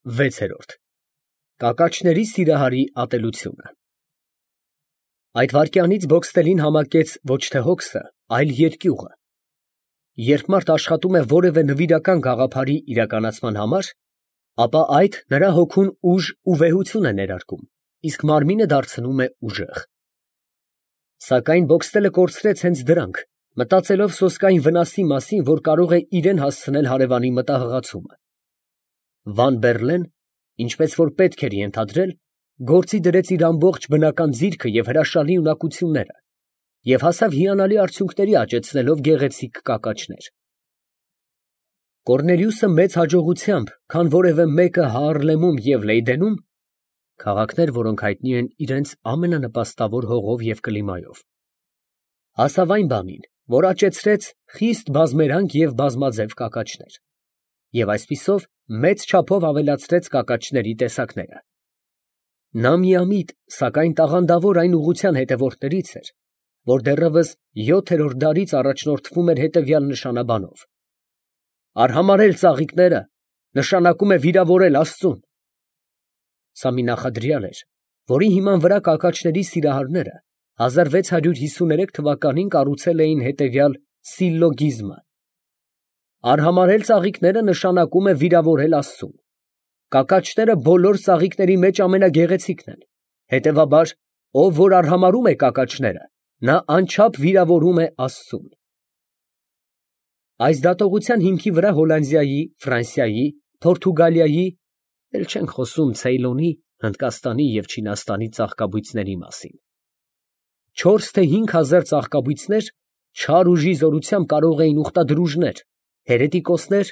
6։ Կակաչների սիրահարի ատելությունը։ Այդ վայրկյանից Բոքստելին համակեց ոչ թե հոգսը, այլ երկյուղը։ Երբ մարդ աշխատում է որևէ նվիրական գաղափարի իրականացման համար, ապա այդ նրա հոգուն ուժ ու վեհություն է ներարկում, իսկ մարմինը դարձնում է ուժեղ։ Սակայն Բոքստելը կորցրեց հենց դրանք, մտածելով սոսկային վնասի մասին, որ կարող է իրան հասցնել հարևանի մտահղացումը։ Վան Բերլեն, ինչպես որ պետք էր ենթադրել, գործի դրեց իր ամբողջ բնական ձիրքը և հրաշալի ունակությունները և հասավ հիանալի արդյունքների աճեցնելով գեղեցիկ կակաչներ։ Կոռնելիուսը մեծ հաջողությամբ, քան որևէ մեկը Հաառլեմում և Լեյդենում (քաղաքներ, որոնք հայտնի են իրենց ամենանպաստավոր հողով և կլիմայով), հասավ այն բանին, որ աճեցրեց խիստ բազմերանգ և բազմաձև կակաչներ և այսպիսով մեծ չափով ավելացրեց կակաչների տեսակները։ Նա միամիտ, սակայն տաղանդավոր այն ուղղության հետևորդներից էր, որ դեռևս 7-րդ դարից առաջնորդվում էր հետևյալ նշանաբանով. «Արհամարհել ծաղիկները նշանակում է վիրավորել աստծուն»։ Սա մի նախադրյալ էր, որի հիման վրա կակաչների սիրահարները 1653 թվականին կառուցել էին հետևյալ սիլլոգիզմը. «Արհամարհել ծաղիկները նշանակում է վիրավորել աստծուն. կակաչները բոլոր ծաղիկների մեջ ամենագեղեցիկն են, հետևաբար, ով որ արհամարհում է կակաչները, նա անչափ վիրավորում է աստծուն»։ Այս դատողության հիմքի վրա Հոլանդիայի, Ֆրանսիայի, Փորթուգալիայի (էլ չենք խոսում Ցեյլոնի, Հնդկաստանի և Չինաստանի ծաղկաբույծների մասին) 4 թե 5 հազար ծաղկաբույծներ չար ուժի զորությամբ կարող էին ուխտադրուժներ, հերետիկոսներ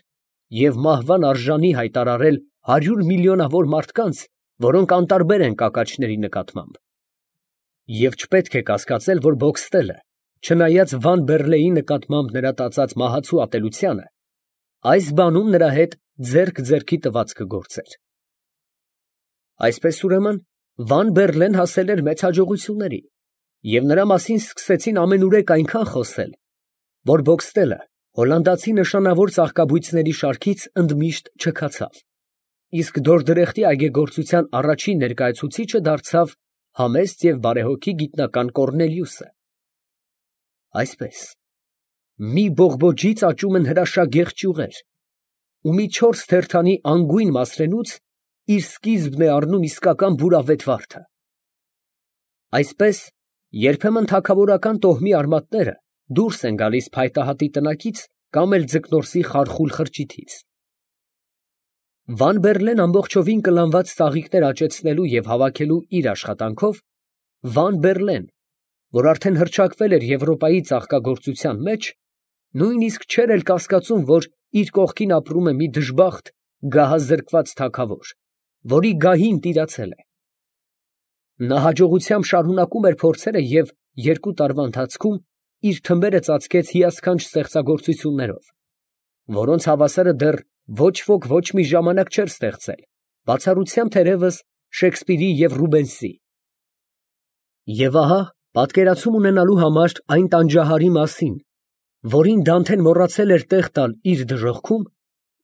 և մահվան արժանի հայտարարել 100 միլիոնավոր մարդկանց, որոնք անտարբեր են կակաչների նկատմամբ։ Եվ չպետք է կասկածել, որ Բոքստելը, չնայած Վան Բերլեի նկատմամբ նրա տածած մահացու ատելությանը, այս բանում նրա հետ ձեռք ձեռքի տված կգործեր։ Այսպես ուրեմն, Վան Բերլեն հասել էր մեծ հաջողությունների, և նրա մասին սկսեցին ամենուրեք այնքան խոսել, որ Բոքստելը հոլանդացի նշանավոր ծաղկաբույծների շարքից ընդմիշտ չքացավ, իսկ Դորդրեխտի այգեգործության առաջին ներկայացուցիչը դարձավ համեստ և բարեհոգի գիտնական Կոռնելիուսը։ Այսպես, մի բողբոջից աճում են հրաշագեղ ճյուղեր, ու մի 4 թերթանի անգույն մասրենուց իր սկիզբն է առնում իսկական բուրավետ վարդը։ Այսպես, երբեմն թագավորական տոհմի արմատները դուրս են գալիս փայտահատի տնակից կամ էլ ձկնորսի խարխուլ խրճիթից։ Վան Բերլեն ամբողջովին կլանված ծաղիկներ աճեցնելու և հավաքելու իր աշխատանքով, Վան Բերլեն, որ արդեն հռչակվել էր Եվրոպայի ծաղկագործության մեջ, նույնիսկ չէր էլ կասկածում, որ իր կողքին ապրում է մի դժբախտ, գահազրկված թագավոր, որի գահին տիրացել է։ Նա հաջողությամբ շարունակում էր փորձերը և 2 տարվա ընթացքում իր թմբերը ծածկեց հիասքանչ ստեղծագործություններով, որոնց հավասարը դեռ ոչ ոք ոչ մի ժամանակ չէր ստեղծել, բացառությամբ թերևս Շեքսպիրի և Ռուբենսի։ Եվ ահա, պատկերացում ունենալու համար այն տանջահարի մասին, որին Դանթեն մոռացել էր տեղ տալ իր դժոխքում,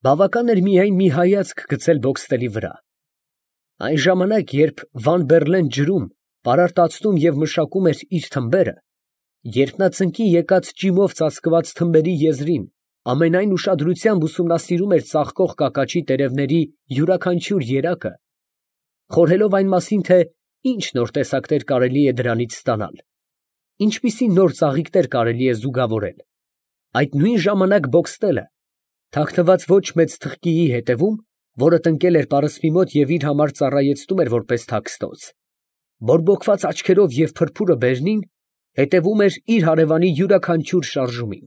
բավական էր միայն մի հայացք գցել Բոքստելի վրա։ Այն ժամանակ, երբ Վան Բերլեն ջրում, պարարտացնում և մշակում էր իր թմբերը, երբ նա ծնկի եկած ճիմով ծածկված թմբերի եզրին ամենայն ուշադրությամբ ուսումնասիրում էր ծաղկող կակաչի տերևների յուրաքանչյուր երակը, խորհելով այն մասին, թե ինչ նոր տեսակներ կարելի է դրանից ստանալ, ինչպիսի նոր ծաղիկներ կարելի է զուգավորել, այդ նույն ժամանակ Բոքստելը, թաքնված ոչ մեծ թղկիի հետևում, որը տնկել էր պարսպի մոտ և իր համար ծառայեցնում էր որպես թաքստոց, բորբոքված աչքերով և փրփուրը բերնին, հետևում էր իր հարևանի յուրաքանչյուր շարժումին։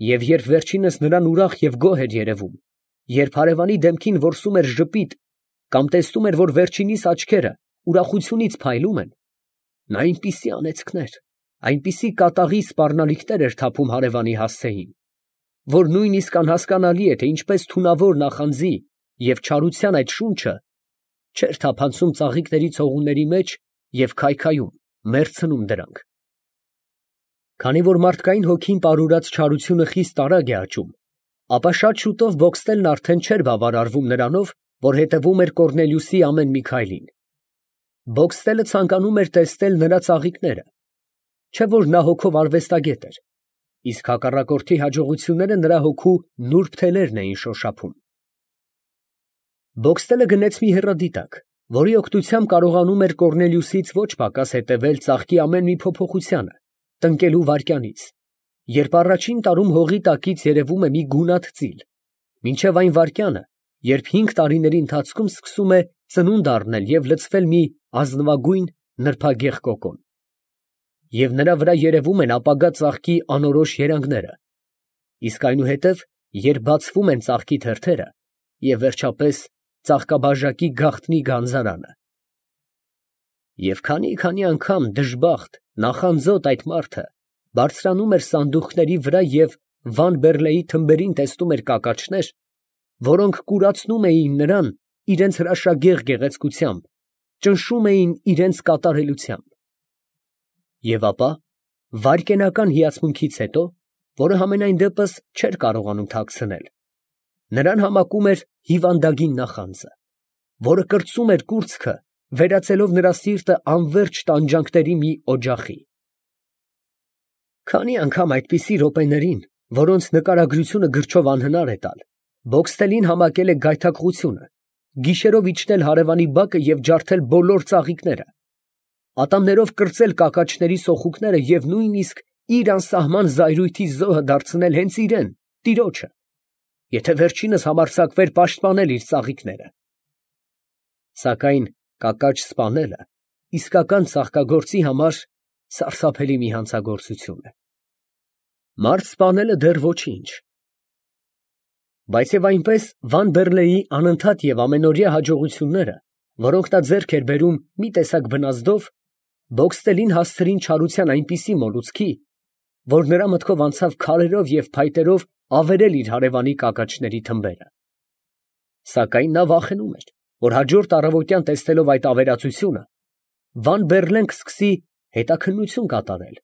Եվ երբ վերջինս նրան ուրախ և գոհ էր երևում, երբ հարևանի դեմքին որսում էր ժպիտ կամ տեսնում էր, որ վերջինիս աչքերը ուրախությունից փայլում են, նա այնպիսի անեծքներ, այնպիսի կատաղի սպառնալիքներ էր թափում հարևանի հասցեին, որ նույնիսկ անհասկանալի է, թե ինչպես թունավոր նախանձի և չարության այդ շունչը չէր թափանցում ծաղիկների ցողունների մեջ և քայքայում, մեռցնում դրանք։ Քանի որ մարդկային հոգին պարուրած չարությունը խիստ արագ է աճում, ապա շատ շուտով Բոքստելն արդեն չէր բավարարվում նրանով, որ հետևում էր Կոռնելիուսի ամեն մի քայլին։ Բոքստելը ցանկանում էր տեսնել նրա ծաղիկները, չէ՞ որ նա հոգով արվեստագետ էր, իսկ հակառակորդի հաջողությունները նրա հոգու նուրբ թելերն էին շոշափում։ Բոքստելը գնեց մի հեռադիտակ, որի օգնությամբ կարողանում էր Կոռնելիուսից ոչ պակաս հետևել ծաղկի ամեն մի փոփոխությանը, տնկելու վայրկյանից, երբ առաջին տարում հողի տակից երևում է մի գունատ ծիլ, մինչև այն վայրկյանը, երբ 5 տարիների ընթացքում սկսում է ծնունդ առնել և լցվել մի ազնվագույն նրբագեղ կոկոն, և նրա վրա երևում են ապագա ծաղկի անորոշ երանգները, իսկ այնուհետև, երբ բացվում են ծաղկի թերթերը, և վերջապես ծաղկաբաժակի գաղտնի գանձարանը։ Եվ քանի անգամ դժբախտ, նախանձոտ այդ մարդը բարձրանում էր սանդուղքների վրա և Վան Բեռլեի թմբերին տեսնում էր կակաչներ, որոնք կուրացնում էին նրան իրենց հրաշագեղ գեղեցկությամբ, ճնշում էին իրենց կատարելությամբ։ Եվ ապա, վայրկենական հիացմունքից հետո, որը համենայն դեպս չէր կարողանում թաքցնել, նրան համակում էր հիվանդագին նախանձը, որը կրծում էր կուրծքը, վերածելով նրա սիրտը անվերջ տանջանքների մի օջախի։ Քանի անգամ այդպիսի րոպեներին, որոնց նկարագրությունը գրչով անհնար է տալ, Բոքստելին համակել է գայթակղությունը, գիշերով իջնել հարևանի բակը և ջարդել բոլոր ծաղիկները, ատամներով կրծել կակաչների սոխուկները և նույնիսկ իր անսահման զայրույթի զոհը դարձնել հենց իրան, տիրոջը, եթե վերջինս համարձակվեր պաշտպանել իր ծաղիկները։ Սակայն կակաչ սպանելը իսկական ծաղկագործի համար սարսափելի մի հանցագործություն է։ Մարդ սպանելը դեռ ոչինչ։ Բայց և այնպես Վան Բեռլեի անընդհատ և ամենօրյա հաջողությունները, որոնք նա ձեռք էր բերում մի տեսակ բնազդով, Բոքստելին հասցրին չարության այնպիսի մոլուցքի, որ նրա մտքով անցավ քարերով և փայտերով ավերել իր հարևանի կակաչների թմբերը։ Սակայն նա վախենում էր, որ հաջորդ առավոտյան տեսնելով այդ ավերածությունը, Վան Բեռլեն կսկսի հետաքննություն կատարել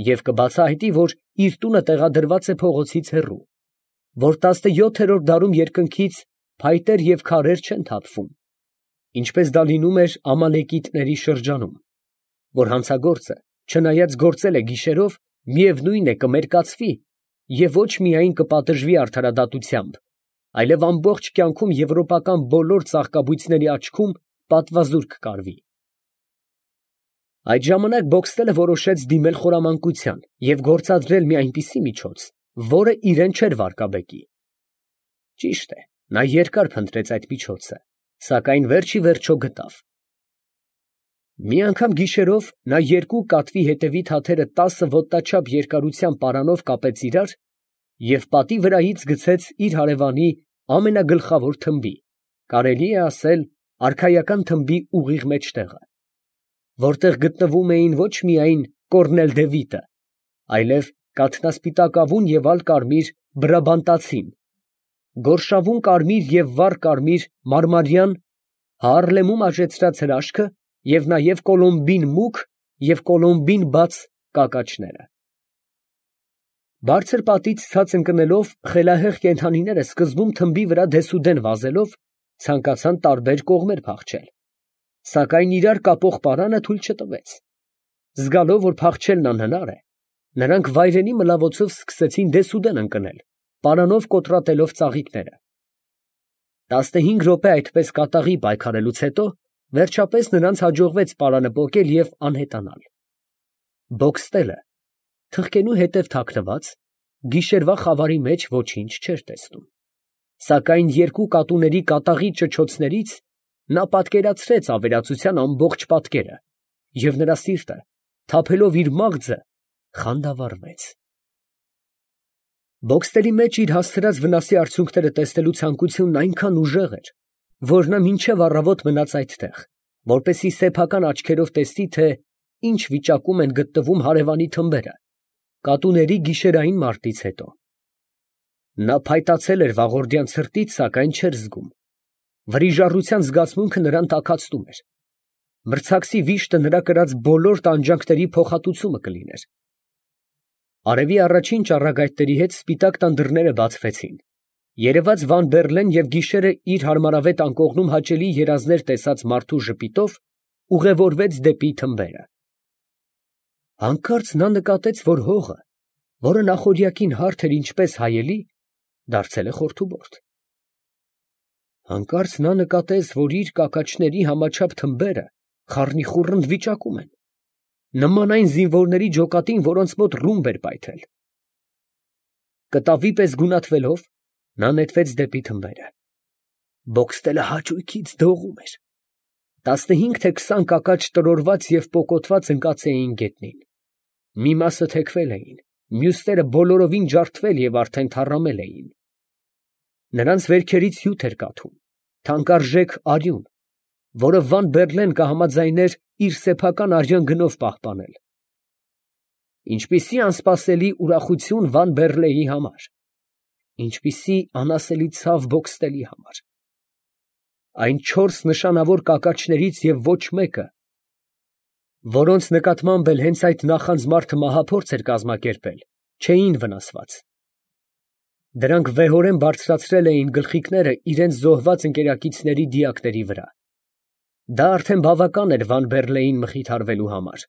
և կբացահայտի, որ իր տունը տեղադրված է փողոցից հեռու, որ 17-րդ դարում երկնքից փայտեր և քարեր չեն թափվում, ինչպես դա լինում էր ամալեկիտների շրջանում, որ հանցագործը, չնայած գործել է գիշերով, միևնույն է կմերկացվի և ոչ միայն կպատժվի արդարադատությամբ, այլև ամբողջ կյանքում եվրոպական բոլոր ծաղկաբույծների աչքում պատվազուրկ կկարվի։ Այդ ժամանակ Բոքստելը որոշեց դիմել խորամանկության և գործադրել մի այնպիսի միջոց, որը իրան չէր վարկաբեկի։ Ճիշտ է, նա երկար փնտրեց այդ միջոցը, սակայն վերջ ի վերջո գտավ։ Մի անգամ գիշերով նա երկու կատվի հետևի թաթերը 10 ոտնաչափ երկարությամբ պարանով կապեց իրար և պատի վրայից գցեց իր հարևանի ամենագլխավոր թմբի, կարելի է ասել արքայական թմբի ուղիղ մեջտեղը, որտեղ գտնվում էին ոչ միայն Կոռնել դե Վիտը, այլև կաթնասպիտակավուն և ալկարմիր Բրաբանտացին, գորշավուն կարմիր և վառ կարմիր մարմարյան, Հաառլեմում աճեցրած հրաշքը և նաև կոլումբին մուգ և կոլումբին բաց կակաչները։ Բարձր պատից ցած ընկնելով, խելահեղ կենդանիները սկզբում թմբի վրա դեսուդեն վազելով, ցանկացան տարբեր կողմեր փախչել, սակայն իրար կապող պարանը թույլ չտվեց։ Զգալով, որ փախչելն անհնար է, նրանք վայրենի մլավոցով սկսեցին դեսուդեն ընկնել, պարանով կոտրատելով ծաղիկները։ 15 րոպե այդպես կատաղի պայքարելուց հետո, վերջապես նրանց հաջողվեց պարանը պոկել և անհետանալ։ Բոքստելը, թխկենու հետև թաքնված, գիշերվա խավարի մեջ ոչինչ չէր տեսնում, սակայն երկու կատուների կատաղի ճչոցներից նա պատկերացրեց ավերածության ամբողջ պատկերը, և նրա սիրտը, թափելով իր մաղձը, խանդավառվեց։ Բոքստելի մեջ իր հասցրած վնասի արդյունքները տեսնելու ցանկությունն այնքան ուժեղ էր, որ նա մինչև առավոտ մնաց այդտեղ, որպեսզի սեփական աչքերով տեսնի, թե ինչ վիճակում են գտնվում հարևանի թմբերը, կատուների գիշերային մարտից հետո։ Նա փայտացել էր վաղորդյան ցրտից, սակայն չէր զգում։ Վրիժառության զգացմունքը նրան տաքացնում էր։ Մրցակցի վիշտը նրա կրած բոլոր տանջանքների փոխհատուցումը կլիներ։ Արևի առաջին ճառագայթների հետ սպիտակ տան դռները բացվեցին, Երևաց Վան Բերլեն և գիշերը իր հարմարավետ անկողնում հաճելի երազներ տեսած մարդու ժպիտով ուղևորվեց դեպի թմբերը։ Հանկարծ նա նկատեց, որ հողը, որը նախօրյակին հարթ էր ինչպես հայելի, դարձել է խորթուբորդ։ Հանկարծ նա նկատեց, որ իր կակաչների համաչափ թմբերը խառնիխուռնդ վիճակում են, նման այն զինվորների ջոկատին, որոնց մոտ ռումբ էր պայթել։ Կտավի պես գունատվելով, նա նետվեց դեպի թմբերը։ Բոքստելը հաճույքից դողում էր։ 15 թե 20 կակաչ տրորված և պոկոտված ընկած էին գետնին։ Մի մասը թեքվել էին, մյուսները բոլորովին ջարդվել և արդեն թառամել էին։ Նրանց վերքերից հյութ էր կաթում, թանկարժեք արյուն, որը Վան Բերլեն կհամաձայներ իր սեփական արյան գնով պահպանել։ Ինչպիսի անսպասելի ուրախություն Վան Բերլեի համար, ինչպիսի անասելի ցավ Բոքստելի համար։ Այն 4 նշանավոր կակաչներից և ոչ մեկը, որոնց նկատմամբ էլ հենց այդ նախանձ մարդը մահափորձ էր կազմակերպել, չէին վնասված։ Դրանք վեհորեն բարձրացրել էին գլխիկները իրենց զոհված ընկերակիցների դիակների վրա։ Դա արդեն բավական էր Վան Բերլեին մխիթարվելու համար։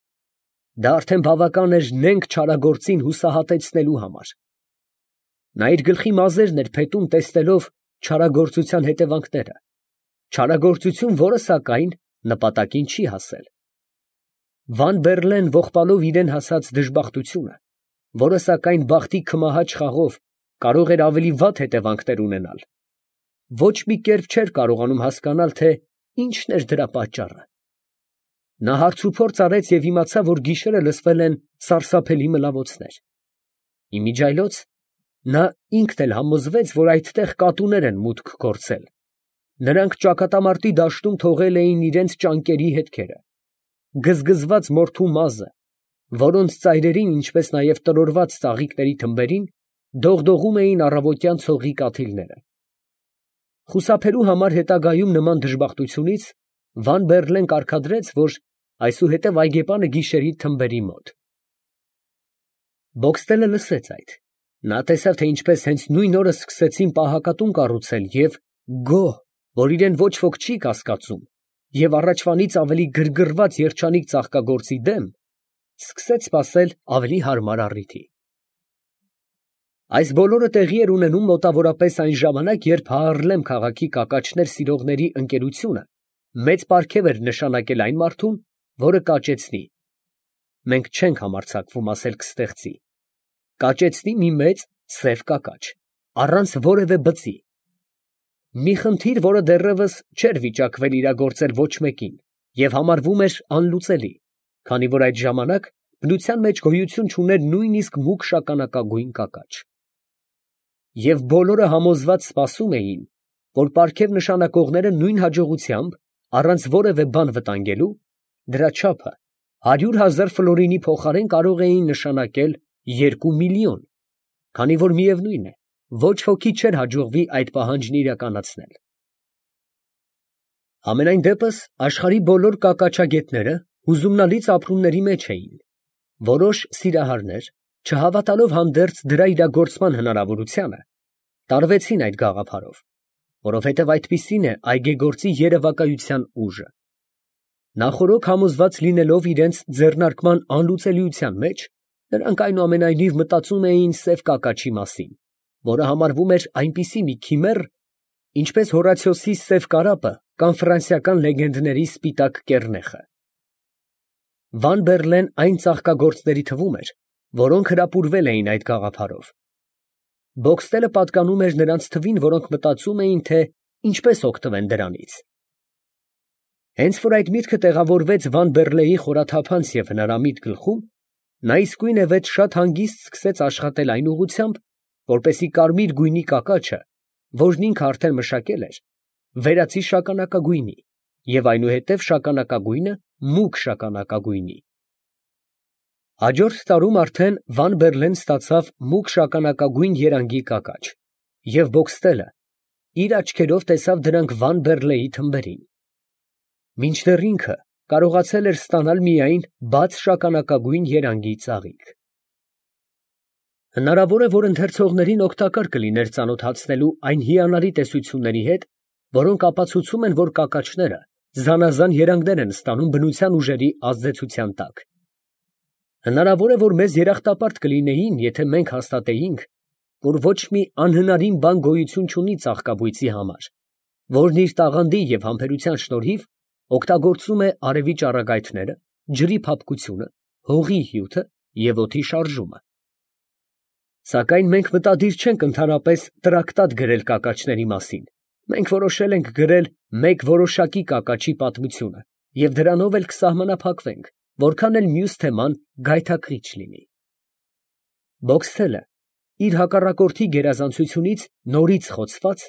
Դա արդեն բավական էր նենգ չարագործին հուսահատեցնելու համար։ Նա իր գլխի մազերն էր փետում տեսնելով չարագործության հետևանքները, չարագործություն, որը սակայն նպատակին չի հասել։ Վան Բերլեն ողբալով իրեն հասած դժբախտությունը, որը սակայն բախտի քմահաճ խաղով կարող էր ավելի վատ հետևանքներ ունենալ, ոչ մի կերպ չէր կարողանում հասկանալ, թե ինչն էր դրա պատճառը։ Նա հարցուփորձ արեց և իմացավ, որ գիշերը լսվել են սարսափելի մլավոցներ։ Իմիջիայլոց նա ինքն էլ համոզվեց, որ այդտեղ կատուներ են մուտք գործել։ Նրանք ճակատամարտի դաշտում թողել էին իրենց ճանկերի հետքերը, գզգզված մորթու մազը, որոնց ծայրերին, ինչպես նաև տրորված ծաղիկների թմբերին, դողդողում էին առավոտյան ցողի կաթիլները։ Խուսափելու համար հետագայում նման դժբախտությունից Վան Բերլեն կարգադրեց, որ այսուհետև այգեպանը գիշերի թմբերի մոտ։ Բոքստելը լսեց այդ։ Նա տեսավ, թե ինչպես հենց նույն օրը սկսեցին պահակատուն կառուցել և գոհ, որ իրեն ոչ ոք չի կասկածում, և առաջվանից ավելի գրգռված երջանիկ ծաղկագործի դեմ, սկսեց սպասել ավելի հարմար առիթի։ Այս բոլորը տեղի էր ունենում մոտավորապես այն ժամանակ, երբ Հաառլեմ քաղաքի կակաչներ սիրողների ընկերությունը մեծ պարգև էր նշանակել այն մարդուն, որը կաճեցնի (մենք չենք համարձակվում ասել կստեղծի) կաճեցնի մի մեծ սև կակաչ, առանց որևէ բծի, մի խնդիր, որը դեռևս չէր վիճակվել իրագործել ոչ մեկին և համարվում էր անլուծելի, քանի որ այդ ժամանակ բնության մեջ գոյություն չուներ նույնիսկ մուգ շագանակագույն կակաչ։ Եվ բոլորը համոզված սպասում էին, որ պարգև նշանակողները նույն հաջողությամբ, առանց որևէ բան վտանգելու, դրա չափը 100,000 ֆլորինի փոխարեն կարող էին նշանակել 2 միլիոն, քանի որ միևնույն է, ոչ ոքի չէր հաջողվի այդ պահանջն իրականացնել։ Համենայն դեպս աշխարհի բոլոր կակաչագետները հուզումնալից ապրումների մեջ էին։ Որոշ սիրահարներ, չհավատալով հանդերձ դրա իրագործման հնարավորությանը, տարվեցին այդ գաղափարով, որովհետև այդպիսին է այգեգործի երևակայության ուժը։ Նախօրոք համոզված լինելով իրենց ձեռնարկման անլուծելիության մեջ, նրանք այնուամենայնիվ մտածում էին սև կակաչի մասին, որը համարվում էր այնպիսի մի քիմեռ, ինչպես Հորացիոսի սև կարապը կամ ֆրանսիական լեգենդների սպիտակ կեռնեխը։ Վան Բերլեն այն ծաղկագործների թվում էր, որոնք հրապուրվել էին այդ գաղափարով։ Բոքստելը պատկանում էր նրանց թվին, որոնք մտածում էին, թե ինչպես օգտվեն դրանից։ Հենց որ այդ միտքը տեղավորվեց Վան Բերլեի խորաթափանց և հնարամիտ գլխում, նա իսկույնևեթ շատ հանգիստ սկսեց աշխատել այն ուղղությամբ, որպեսզի կարմիր գույնի կակաչը, որն ինքը արդեն մշակել էր, վերածի շագանակագույնի և այնուհետև շագանակագույնը մուգ շագանակագույնի։ Հաջորդ տարում արդեն Վան Բերլեն ստացավ մուգ շագանակագույն երանգի կակաչ, և Բոքստելը իր աչքերով տեսավ դրանք Վան Բերլեի թմբերին։ Մինչդեռ ինքը կարողացել էր ստանալ միայն բաց շագանակագույն երանգի ծաղիկ։ Հնարավոր է, որ ընթերցողներին օգտակար կլիներ ծանոթացնելու այն հիանալի տեսությունների հետ, որոնք ապացուցում են, որ կակաչները զանազան երանգներ են ստանում բնության ուժերի ազդեցության տակ։ Հնարավոր է, որ մեզ երախտապարտ կլինեին, եթե մենք հաստատեինք, որ ոչ մի անհնարին բան գոյություն չունի ծաղկաբույծի համար, որն իր տաղանդի և համբերության շնորհիվ օգտագործում է արևի ճառագայթները, ջրի փափկությունը, հողի հյութը և օդի շարժումը։ Սակայն մենք մտադիր չենք ընդհանրապես տրակտատ գրել կակաչների մասին, մենք որոշել ենք գրել մեկ որոշակի կակաչի պատմությունը և դրանով էլ կսահմանափակվենք, որքան էլ մյուս թեման գայթակղիչ լինի։ Բոքսթելը, իր հակառակորդի գերազանցությունից նորից խոցված,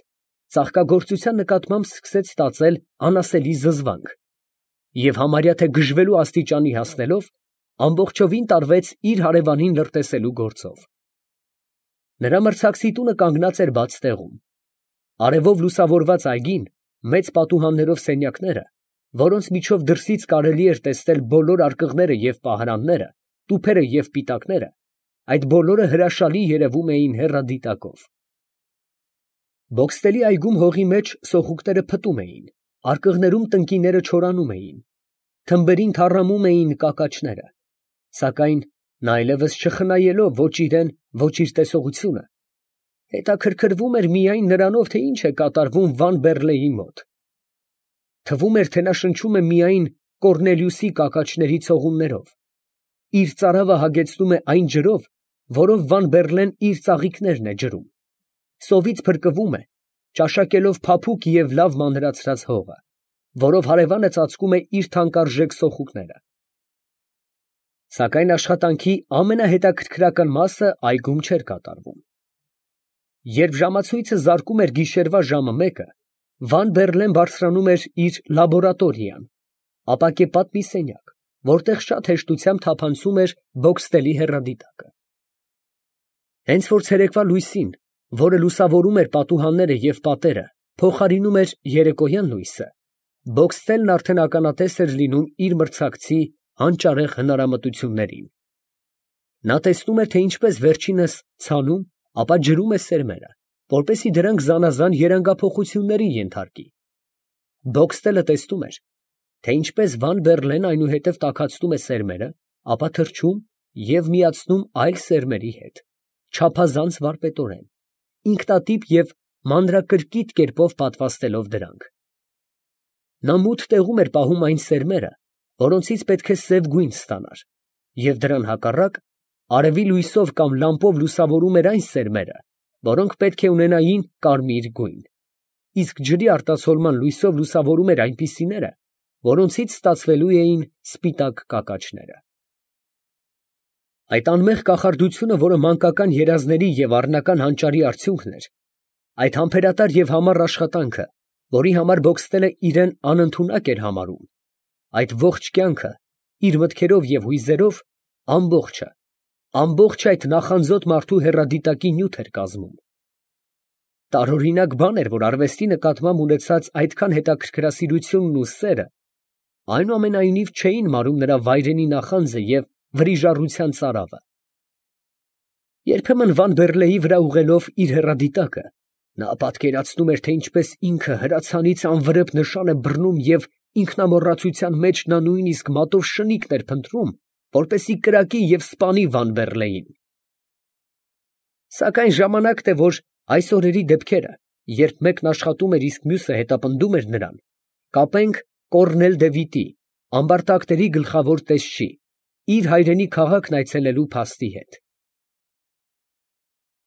ծաղկագործության նկատմամբ սկսեց ստացել անասելի զզվանք և համարյա թե գժվելու աստիճանի հասնելով, ամբողջովին տարվեց իր հարևանին լրտեսելու գործով։ Նրա մրցակցի տունը կանգնած էր բաց տեղում։ Արևով լուսավորված այգին, մեծ պատուհաններով սենյակները, որոնց միջով դրսից կարելի էր տեսնել բոլոր արկղները և պահարանները, տուփերը և պիտակները, այդ բոլորը հրաշալի երևում էին հեռադիտակով։ Բոքստելի այգում հողի մեջ սոխուկները փտում էին, արկղներում տնկիները չորանում էին, թմբերին թառամում էին կակաչները, սակայն նա այլևս չխնայելով ոչ իրան, ոչ իր տեսողությունը, հետաքրքրվում էր միայն նրանով, թե ինչ է կատարվում Վան֊Բեռլեի մոտ։ Թվում էր, թե նա շնչում է միայն Կոռնելիուսի կակաչների ցողուններով, իր ծարավը հագեցնում է այն ջրով, որով Վան֊Բեռլեն իր ծաղիկներն է ջրում, սովից փրկվում է, ճաշակելով փափուկ և լավ մանրացրած հողը, որով հարևանը ծածկում է իր թանկարժեք սոխուկները։ Սակայն աշխատանքի ամենահետաքրքրական մասը այգում չէր կատարվում։ Երբ ժամացույցը զարկում էր գիշերվա ժամը 1-ը, Վան֊Բեռլեն բարձրանում էր իր լաբորատորիան, ապակեպատ մի սենյակ, որտեղ շատ հեշտությամբ թափանցում էր Բոքստելի հեռադիտակը։ Հենց որ ցերեկվա լույսին, որը լուսավորում էր պատուհանները և պատերը, փոխարինում էր երեկոյան լույսը, Բոքստելն արդեն ականատես էր լինում իր մրցակցի հանճարեղ հնարամտություններին։ Նա տեսնում էր, թե ինչպես վերջինս ցանում, ապա ջրում է սերմերը, որպեսզի դրանք զանազան երանգափոխությունների ենթարկի։ Բոքստելը տեսնում էր, թե ինչպես Վան֊Բեռլեն այնուհետև տաքացնում է սերմերը, ապա թրջում և միացնում այլ սերմերի հետ, չափազանց վարպետորեն, ինքնատիպ և մանրակրկիտ կերպով պատվաստելով դրանք։ Նա մութ տեղում էր պահում այն սերմերը, որոնցից պետք է սև գույն ստանար, և դրան հակառակ, արևի լույսով կամ լամպով լուսավորում էր այն սերմերը, որոնք պետք է ունենային կարմիր գույն, իսկ ջրի արտացոլման լույսով լուսավորում էր այնպիսիները, որոնցից ստացվելու էին սպիտակ կակաչները։ Այդ անմեղ կախարդությունը, որը մանկական երազների և առնական հանճարի արդյունքն էր, այդ համբերատար և համառ աշխատանքը, որի համար Բոքստելը իրան անընդունակ էր համարում, այդ ողջ կյանքը, իր մտքերով և հույզերով, ամբողջ այդ նախանձոտ մարդու հեռադիտակի նյութ էր կազմում։ Տարօրինակ բան էր, որ արվեստի նկատմամբ ունեցած այդքան հետաքրքրասիրությունն ու սերը այնուամենայնիվ չէին մարում նրա վայրենի նախանձը և վրիժառության ծարավը։ Երբեմն Վան֊Բեռլեի վրա ուղղելով իր հեռադիտակը, նա պատկերացնում էր, թե ինչպես ինքը հրացանից անվրեպ նշան է բռնում և ինքնամոռացության մեջ նա նույնիսկ մատով շնիկն էր փնտրում, որպեսզի կրակի և սպանի Վան֊Բեռլեին։ Սակայն ժամանակն է, որ այս օրերի դեպքերը, երբ մեկն աշխատում էր, իսկ մյուսը հետապնդում էր նրան, կապենք Կոռնել դե Վիտի, ամբարտակների գլխավոր տեսչի, իր հայրենի քաղաքն այցելելու փաստի հետ։